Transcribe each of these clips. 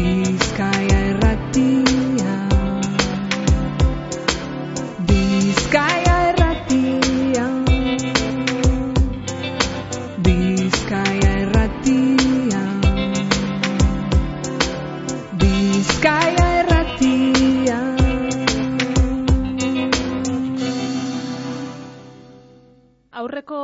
Bizkaia Irratia. Bizkaia Irratia. Bizkaia Irratia. Bizkaia Irratia. Aurreko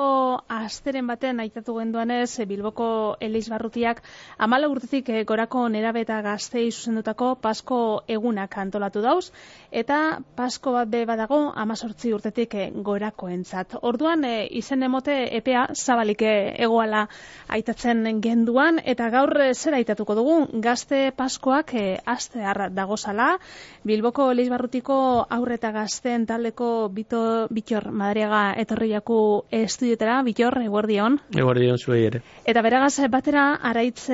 asteren baten aitatu genduanez, Bilboko Elizbarrutiak 14 urtetik gorako nerabe eta gaztei zuzendutako Pasko egunak antolatu dauz, eta Pasko bat be badago 18 urtetik gorakoentzat. Orduan izen emote epea zabalik egoala aitatzen genduan, eta gaur zer aitatuko dugu? Gazte Paskoak astear dagozala. Bilboko Elizbarrutiko aurre eta gazteen taldeko Bitor Madariaga etorri jaku estudiotara. Bitor, eguerdion. Eguerdion zuei ere. Eta beragaz batera Araitz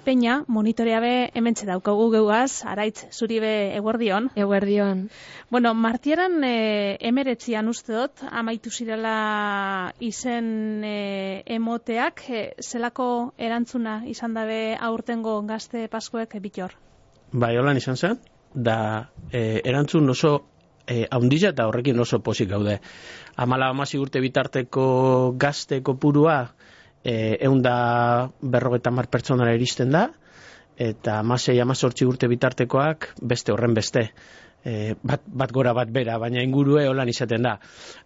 Peña monitorea be hementxe daukagu geugaz. Araitz, zuri be eguerdion. Eguerdion. Bueno, martiaran 19an uste dut, amaitu zirela izen emoteak, zelako erantzuna izan dabe aurtengo gazte Paskoek, Bitor? Bai, holan izan zen, da erantzun oso haundila eta horrekin oso pozik gaude. 14 urte bitarteko gazte kopurua 150 pertsonara iristen da, eta 16-18 urte bitartekoak beste horren beste. Bat gora bat bera, baina ingurue holan izaten da.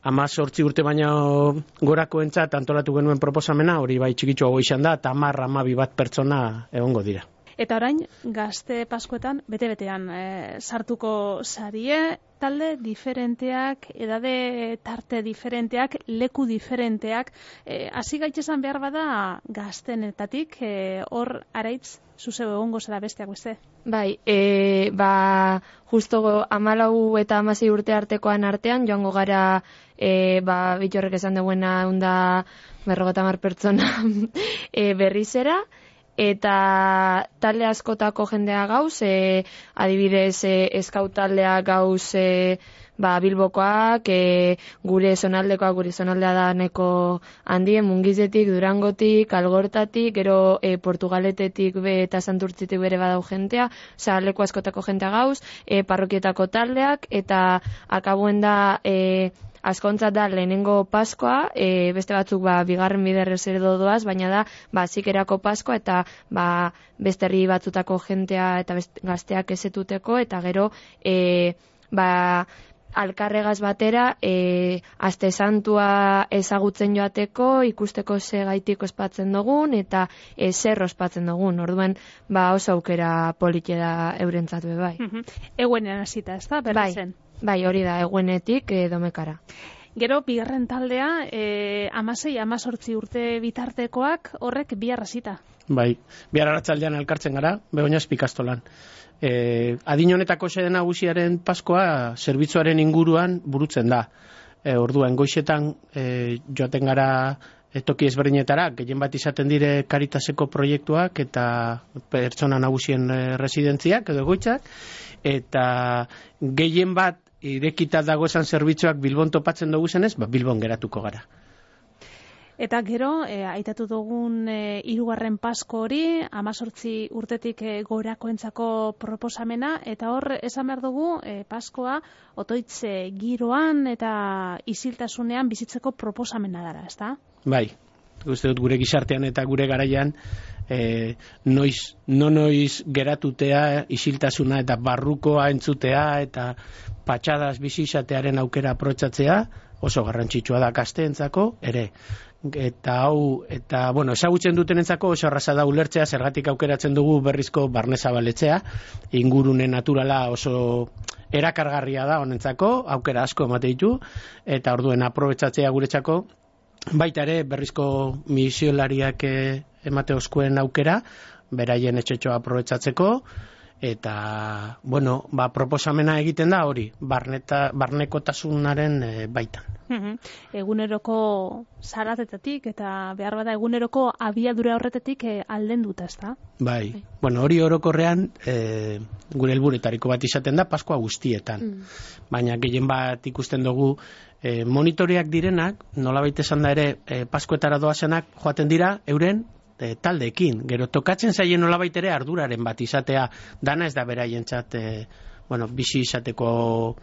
18 urte baina gorakoentzat antolatu genuen proposamena, hori bai txikitxoago izan da, eta 10-12 bat pertsona egongo dira. Eta orain, gazte Paskoetan, bete-betean sartuko sarie, talde diferenteak, edade tarte diferenteak, leku diferenteak, hasi gaitezan behar bada gaztenetatik, hor Araitz, zuzeu egongo zara besteak beste? Bai, justo 14 eta 16 urte artekoan artean, joango gara, Bitorrek esan duena 150 pertsona berrizera, eta talde askotako jendea gauz, adibidez eskaut taldea gauz Bilbokoak, gure zonaldekoak, gure zonaldea da neko handien, Mungizetik, Durangotik, Algortatik, gero Portugaletetik eta Santurtzitik bere badau jentea, leku askotako jentea gauz, parrokietako taldeak, eta akabuen da askontzat da lehenengo Paskoa, beste batzuk bigarren biderrez edo doaz, baina da zikerako Paskoa eta beste herri batzutako jentea eta gazteak ezetuteko, eta gero alkarregaz batera aste santua ezagutzen joateko, ikusteko ze gaitik ospatzen dugun eta zer ospatzen dugun. Orduan oso aukera politia da eurentzat be bai. Eguenen hasita, ez da, berrizen? Bai, hori da, eguenetik Domekara. Gero, bigarren taldea, 16-18 urte bitartekoak, horrek bihar hasita. Bai, bihar arratsaldean elkartzen gara, Begoñaz Pikastolan. Adin honetako xede nagusiaren Paskoa zerbitzuaren inguruan burutzen da. Orduan, goizetan joaten gara toki ezberdinetara, gehien bat izaten dire Caritaseko proiektuak eta pertsona nagusien residentziak edo egoitzak, eta gehien bat irekita dago esan zerbitzuak Bilbon topatzen dugu zenez, Bilbon geratuko gara. Eta gero, aitatu dugun hirugarren Pasko hori, 18 urtetik gorakoentzako proposamena, eta hor esan behar dugu Paskoa otoitz giroan eta isiltasunean bizitzeko proposamena dara, ezta? Bai, uste dut gure gizartean eta gure garaian noiz geratutea, isiltasuna eta barrukoa entzutea eta patxadas bizi izatearen aukera aprotsatzea oso garrantzitsua da gazteentzako ere. Eta ezagutzen dutenentzako oso erraza da ulertzea zergatik aukeratzen dugu berrizko barnezabaletzea, ingurune naturala oso erakargarria da honentzako, aukera asko emate ditu, eta orduen aprobetxatzea guretzako, baita ere berrizko misiolariak emate oskuen aukera, beraien etxetxoa aprobetxatzeko, eta, proposamena egiten da hori, barnekotasunaren baitan. Eguneroko zaratetatik eta behar bada eguneroko abiadura horretetik aldenduta, ezta? Bai, hori orokorrean gure helburuetariko bat izaten da Paskoa guztietan. Baina gehien bat ikusten dugu monitoreak direnak, nolabait esan da ere Paskoetara doazenak joaten dira euren taldeekin. Gero tokatzen zaien nolabait ere arduraren bat izatea, dana ez da beraientzat bizi izateko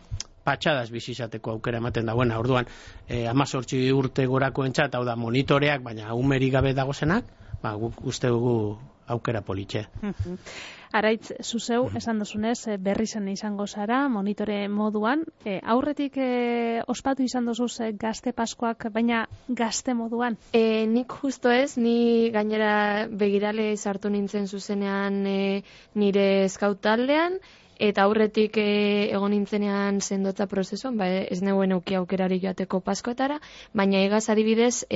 patxadas bizi izateko aukera ematen da. Orduan 18 urte gorakoentzat, hau da monitoreak, baina umerik gabe dagozenak, guk uste dugu aukera politxe. Araitz, zuzeu, esan duzunez, berri zen izango zara, monitore moduan. Aurretik ospatu izan duzuz gazte paskoak, baina gazte moduan? Nik justo ez, ni gainera begirale sartu nintzen zuzenean nire scout taldean, eta aurretik egon nintzenean sendotza prozesuan, ez neuen auki aukerari joateko paskoetara, baina egaz adibidez,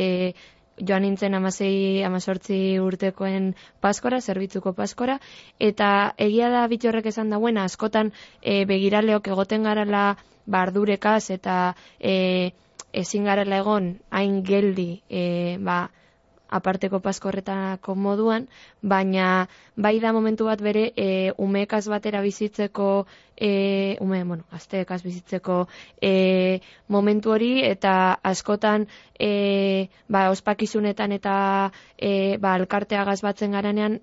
joan nintzen 16-18 urtekoen paskora, zerbitzuko paskora, eta egia da Bittorrek esan dagoena, askotan begiraleok egoten garala bardurekaz eta ezin garela egon hain geldi aparteko paskorretako moduan, baina bai da momentu bat bere umeekaz batera bizitzeko, gazteekaz bizitzeko momentu hori, eta askotan ospakizunetan eta elkarteagaz batzen garanean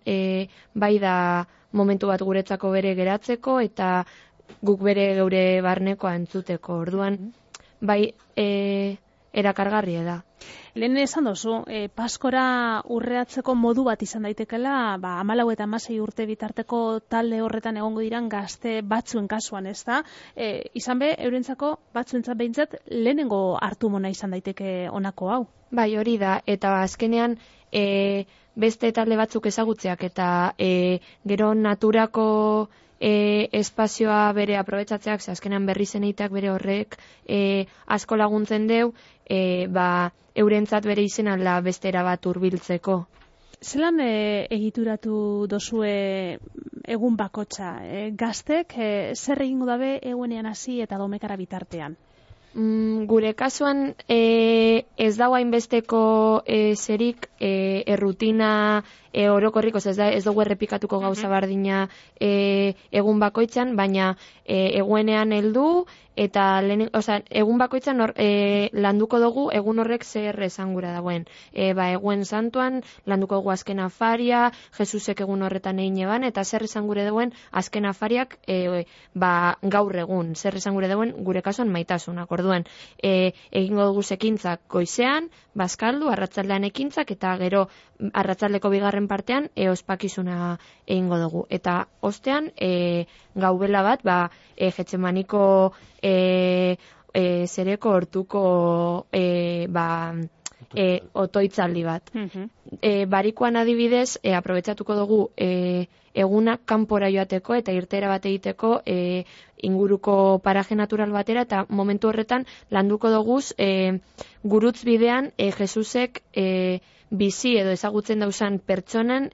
bai da momentu bat guretzako bere geratzeko eta guk bere geure barnekoa entzuteko. Orduan, bai erakargarria da. Lehen esan dozu, paskora urreatzeko modu bat izan daitekela, 14 eta 16 urte bitarteko talde horretan egongo diran gazte batzuen kasuan, ez da? Izan be, eurentzako batzuentzat behintzat lehenengo hartu mona izan daiteke honako hau. Bai, hori da, eta azkenean beste talde batzuk ezagutzeak eta gero naturako espazioa bere aprobetxatzeak, azkenean berri zeneiteak bere horrek asko laguntzen deu, eurentzat bere izena la bestera bat hurbiltzeko. Zelan egituratu dozue egun bakotxa? Gaztek zer egingo dabe egunean hasi eta domekara bitartean? Gure kasuan ez dago hainbesteko zerik errutina orokorrik, ez dugu errepikatuko gauza bardina egun bakoitzan, baina egunean heldu eta egun bakoitzan landuko dugu egun horrek zer esan gura dagoen. Eguen santuan landuko dugu azken afaria, Jesusek egun horretan egin eban, eta zer esan gure dagoen azken afariak gaur egun, zer esan gure dagoen gure kasuan maitasunak. Orduan, egingo dugu ekintzak goizean, bazkaldu, arratzaldean ekintzak, eta gero arratzaldeko bigarren partean ospakizuna egingo dugu. Eta ostean, gaubela bat, Getsemaniko zereko hortuko otoitzaldi bat. Barikoan adibidez, aprobetxatuko dugu egunak kanpora joateko eta irtera bat egiteko inguruko paraje natural batera, eta momentu horretan landuko duguz gurutz bidean Jesusek bizi edo ezagutzen dauzan pertsonan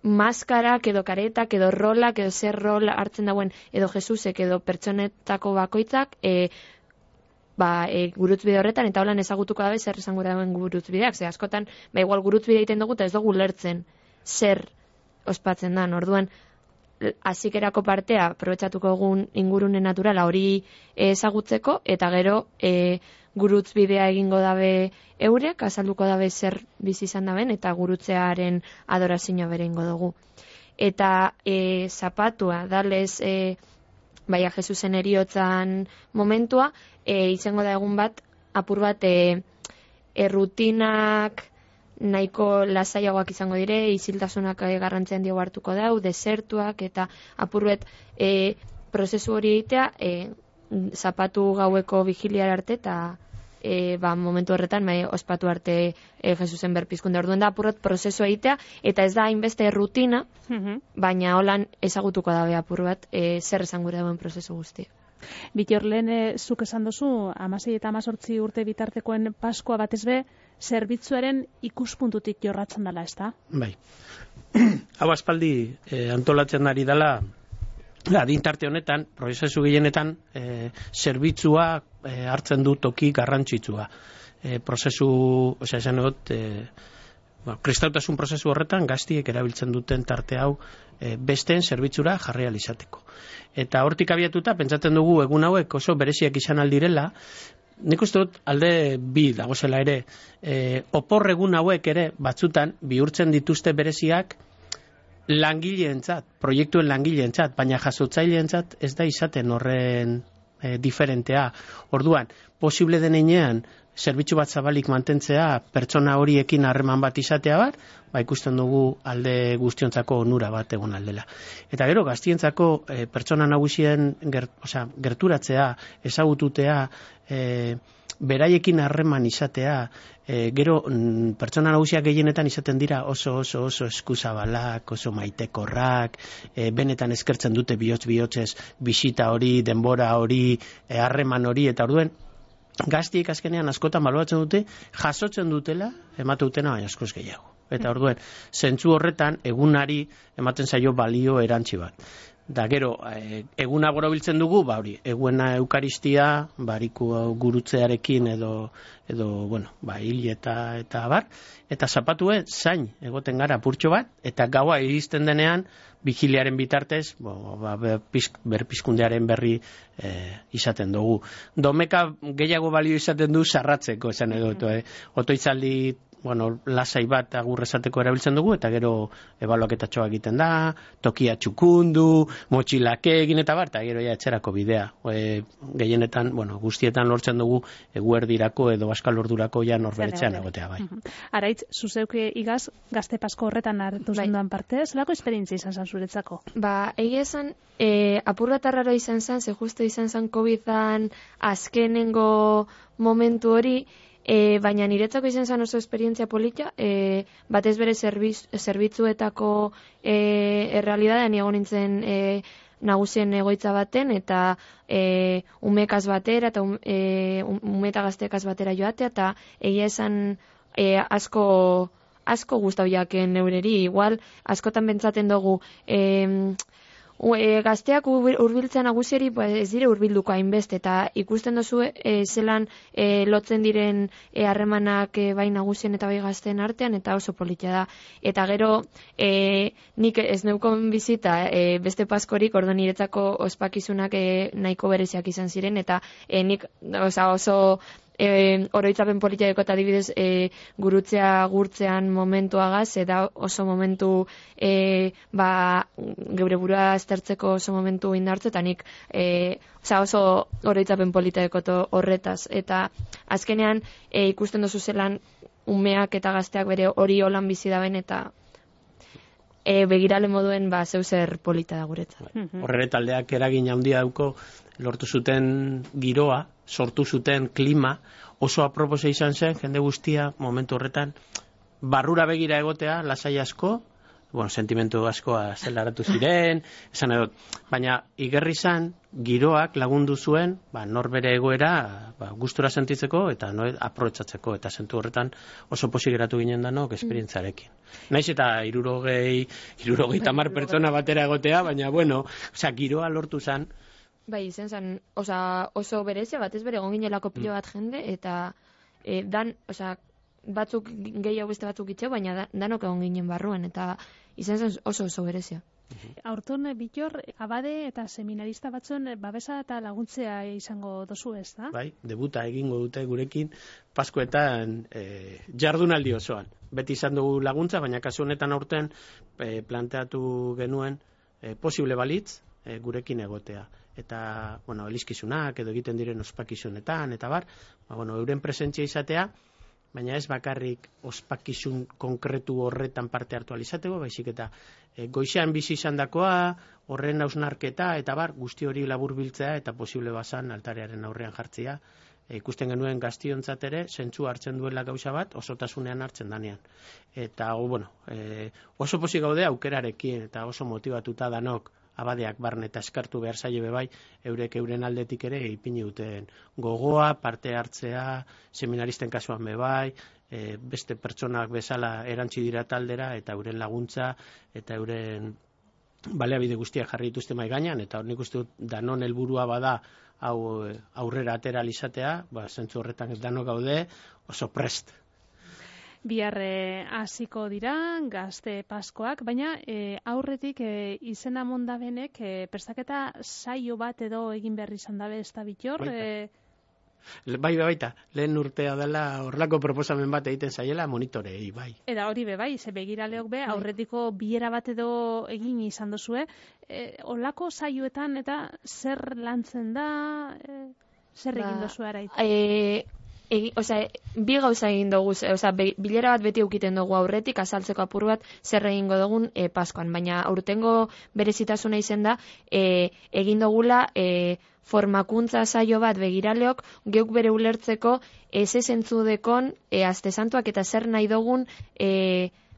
maskarak edo karetak edo rolak edo zer rol hartzen dauen edo Jesusek edo pertsonetako bakoitzak gurutzbide horretan, eta holan ezagutuko dabe zer esango dauen gurutzbideak. Ze askotan, igual gurutzbide egiten dugu eta ez dugu lertzen zer ospatzen da. Orduan, hasikerako partea aprobetxatuko egun ingurune naturala hori ezagutzeko, eta gero gurutzbidea egingo dabe eurek, azalduko dabe zer bizi izan daben, eta gurutzearen adorazioa bere ingo dugu. Eta zapatua, dalez Jesusen eriotzan momentua, izango da egun bat, apur bat errutinak nahiko lasaiagoak izango dire, isiltasunak garrantzean diego hartuko dau, desertuak, eta apur bat prozesu hori egitea, zapatu gaueko vigiliar arte, eta momentu horretan ospatu arte Jesusen berpizkunde. Orduan da apurret prozesua egitea, eta ez da hainbeste rutina, baina holan ezagutuko dabe apur bat zer esan gure dauen prozesu guzti. Bittor, lehen zuk esan dozu 16 eta 18 urte bitartekoen paskoa batez be zerbitzuaren ikuspuntutik jorratzen dela, ez da? Bai. Hau aspaldi antolatzen ari dela adintarte honetan, prozesu gehienetan zerbitzua hartzen du toki garrantzitsua. Prozesu, esan egot, kristautasun prozesu horretan gaztiek erabiltzen duten tarte hau besteen zerbitzura jarri ahal izateko. Eta hortik abiatuta, pentsatzen dugu egun hauek oso bereziak izan aldirela, nik uste dut alde bi dagozela ere, opor egun hauek ere batzutan bihurtzen dituzte bereziak langileentzat, proiektuen langileentzat, baina jasotzaileentzat ez da izaten horren diferentea. Orduan, posible denean zerbitzu bat zabalik mantentzea, pertsona horiekin harreman bat izatea bat, ikusten dugu alde guztiontzako onura bat egon aldela. Eta gero, gaztientzako pertsona nagusien gerturatzea, ezagututea, beraiekin harreman izatea, gero pertsona nagusiak gehienetan izaten dira oso eskuzabalak, oso maitekorrak, benetan eskertzen dute bihotz-bihotzez bisita hori, denbora hori, harreman hori, eta orduen gaztiek azkenean askotan baloratzen dute, jasotzen dutela, emate dutena baina askoz gehiago. Eta orduen, zentzu horretan egunari ematen zaio balio erantzi bat. Da gero, eguna borobiltzen dugu, hori, eguna eukaristia, bariku gurutzearekin edo hil eta bar, eta zapatue zain egoten gara purtxo bat, eta gaua iristen denean, vigiliaren bitartez, berpizkundearen berri izaten dugu. Domeka gehiago balio izaten du sarratzeko, esan edo, otoitzaldi lasai bat agur esateko erabiltzen dugu, eta gero ebaluaketatxoa egiten da, tokia txukundu, motxilake egin eta bar, eta gero etxerako bidea. Gehienetan, guztietan lortzen dugu eguerdirako edo baskal ordurako norberetxean egotea bai. Araitz, zuzeuke igaz, gazte pasko horretan hartu zenduan parte, zelako esperientzia izan zan zuretzako? Egia esan, apur bat arraro izan zan, ze justo izan zan COVID-an azkenengo momentu hori, baina niretzako izan zen oso esperientzia polita, batez bere zerbitzuetako errealidadean egon nintzen nagusien egoitza baten, eta umekaz batera, eta umeta gaztekaz batera joatea, eta egia esan asko gustau jaken neureri, igual askotan bentsaten dugu, gazteak hurbiltzen nagusieri ez dire hurbilduko hainbeste, eta ikusten duzu zelan lotzen diren harremanak bai nagusien eta bai gazteen artean, eta oso polita da. Eta gero nik ez neukon bizita beste paskorik, ordo niretzako ospakizunak nahiko bereziak izan ziren, eta nik oso oroitzapen politiako eta adibidez gurutzea gurtzean momentuagaz, eta oso momentu geure burua aztertzeko oso momentu indartze, eta nik oso oroitzapen politiako horretaz. Eta azkenean ikusten duzu zelan umeak eta gazteak bere hori holan bizi daben, eta begirale moduen zeuzer polita da guretzat. Horre taldeak eragin handia dauko, lortu zuten giroa, sortu zuten klima, oso apropose izan zen, jende guztia momentu horretan, barrura begira egotea, lasai asko, sentimentu askoa zelaratu ziren, esan edot, baina igerri zan, giroak lagundu zuen, norbere egoera gustura sentitzeko eta aprobetxatzeko, eta zentu horretan oso posi geratu ginen danok esperientzarekin. Naiz eta 60 pertsona batera egotea, baina giroa lortu zan. Bai, izan zen, oso berezia, batez bere egon ginelako pilo bat jende, eta batzuk gehiago beste batzuk itxeo, baina danok egon ginen barruen, eta izan zen oso berezia. Aurton, Bitor, abade eta seminarista batzuen babesa eta laguntzea izango dozu ez, da? Bai, debuta egingo dute gurekin Paskoetan jardunaldi osoan. Beti izan dugu laguntza, baina kasu honetan aurten planteatu genuen posible balitz gurekin egotea. Eta, elizkizunak edo egiten diren ospakizunetan, eta bar, euren presentzia izatea, baina ez bakarrik ospakizun konkretu horretan parte hartu alizateko, baizik eta goizean bizi izandakoa, horren hausnarketa, eta bar, guzti hori laburbiltzea eta posible bazan altarearen aurrean jartzea. Ikusten genuen gaztiontzat ere, zentzu hartzen duela gauza bat, osotasunean hartzen danean. Eta, oso pozik gaude aukerarekin, eta oso motibatuta danok, abadeak barne eta eskartu behar zaie bebai, euren aldetik ere ipini duten gogoa, parte hartzea, seminaristen kasuan bebai, beste pertsonak bezala erantzi dira taldera, eta euren laguntza, eta euren baliabide guztiak jarri dituzte mai gainean, eta nik uste dut danon helburua bada hau aurrera atera izatea, zentzu horretan ez danok gaude, oso prest. Bihar hasiko dira gazte paskoak, baina aurretik izena mondabenek prestaketa saio bat edo egin behar izan dabe ez da Bitor? Baita, lehen urtea dela horrelako proposamen bat egiten zaiela monitorei, bai. Eta hori bai, ze begiraleok aurretiko bilera bat edo egin izan duzue, olako saioetan eta zer lantzen da, zer egin duzu arait? Bi gauza egin dugu, bilera bat beti eukiten dugu aurretik, azaltzeko apur bat zer egingo dugun Paskoan, baina aurtengo berezitasuna izen da, egin dugula formakuntza saio bat begiraleok, geuk bere ulertzeko eze zentzudekon aste santuak eta zer nahi dugun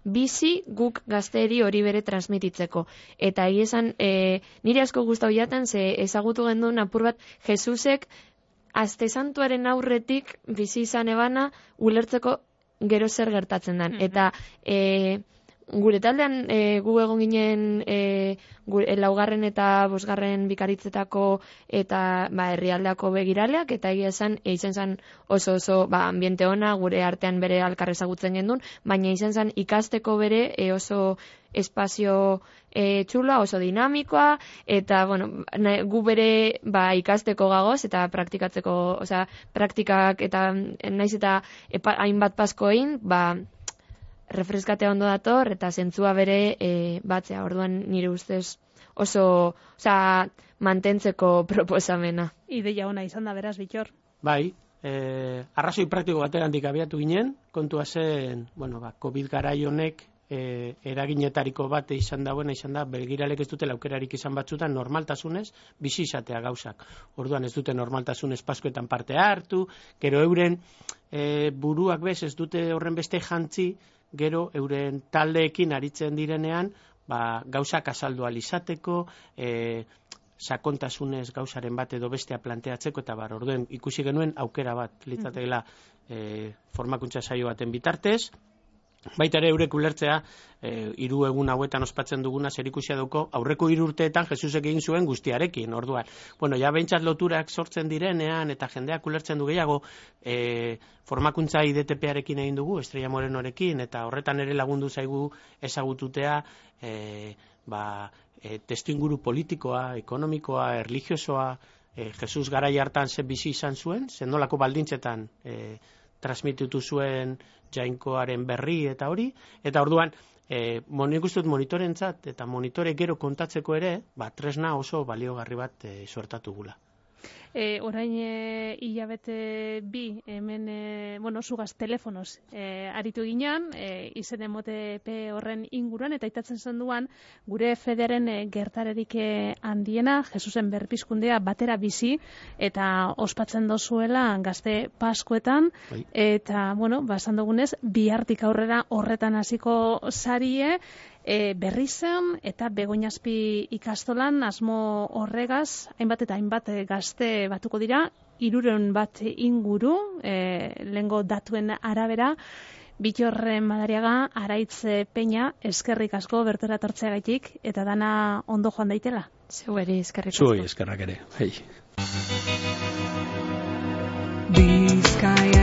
bizi guk gazteri hori bere transmititzeko. Eta esan, nire asko gustau jaten, ze ezagutu genduen apur bat Jesusek aste santuaren aurretik bizi izan ebana ulertzeko gero zer gertatzen den. Eta gure taldean gu egon ginen laugarren eta bosgarren bikaritzetako eta herrialdeako begiraleak, eta egia esan izan zen oso ambiente ona, gure artean bere alkar ezagutzen gendun, baina izan zen ikasteko bere oso espazio txula, oso dinamikoa, eta gu bere ikasteko gagoz eta praktikatzeko, praktikak eta naiz eta hainbat Pasko egin, refreskatea ondo dator eta zentzua bere batzea. Orduan nire ustez oso mantentzeko proposamena. Ideia ona izan da beraz, Bittor. Bai, arrazoi praktiko baterandik abiatu ginen, kontua zen, COVID garai honek eraginetariko bat izan da begiralek ez dutela aukerarik izan batzutan normaltasunez bizi izatea gauzak. Orduan ez dute normaltasunez Paskoetan parte hartu, gero euren buruak ez dute horren beste jantzi, gero euren taldeekin aritzen direnean, gauzak azaldu alizateko, sakontasunez gauzaren bat edo bestea planteatzeko, eta orduen ikusi genuen aukera bat litzateela formakuntza saio baten bitartez. Baita ere eurek ulertzea, 3 egun hauetan ospatzen duguna zerikusia dauko, aurreko 3 urteetan Jesusek egin zuen guztiarekin, orduan. Behintzat loturak sortzen direnean, eta jendeak ulertzen du gehiago, formakuntza IDTP-arekin egin dugu, Estrella Morenorekin, eta horretan ere lagundu zaigu ezagututea, testuinguru politikoa, ekonomikoa, erlijiosoa, Jesus garai hartan ze bizi izan zuen, zenolako baldintzetan transmititu zuen jainkoaren berri eta hori, eta orduan, nik uste dut monitorentzat eta monitore gero kontatzeko ere, tresna oso baliogarri bat suertatu gula. Orain hilabete 2 hemen, zugaz telefonoz aritu ginean, izen emotepe horren inguruan, eta itatzen zen duan, gure fedearen gertarerik handiena, Jesusen berpizkundea batera bizi, eta ospatzen dozuela gazte Paskoetan, eta, esan dugunez, bihartik aurrera horretan hasiko sarie, Berrizen eta Begoñazpi ikastolan asmo horregaz, hainbat eta hainbat gazte batuko dira, 300 bat inguru, lehengo datuen arabera. Bittor Madariaga, Araitz Peña, eskerrik asko bertara tortzeagaitik, eta dana ondo joan daitela. Zeueri eskerrik asko. Zuei eskerrak ere. Hei. Bizkaia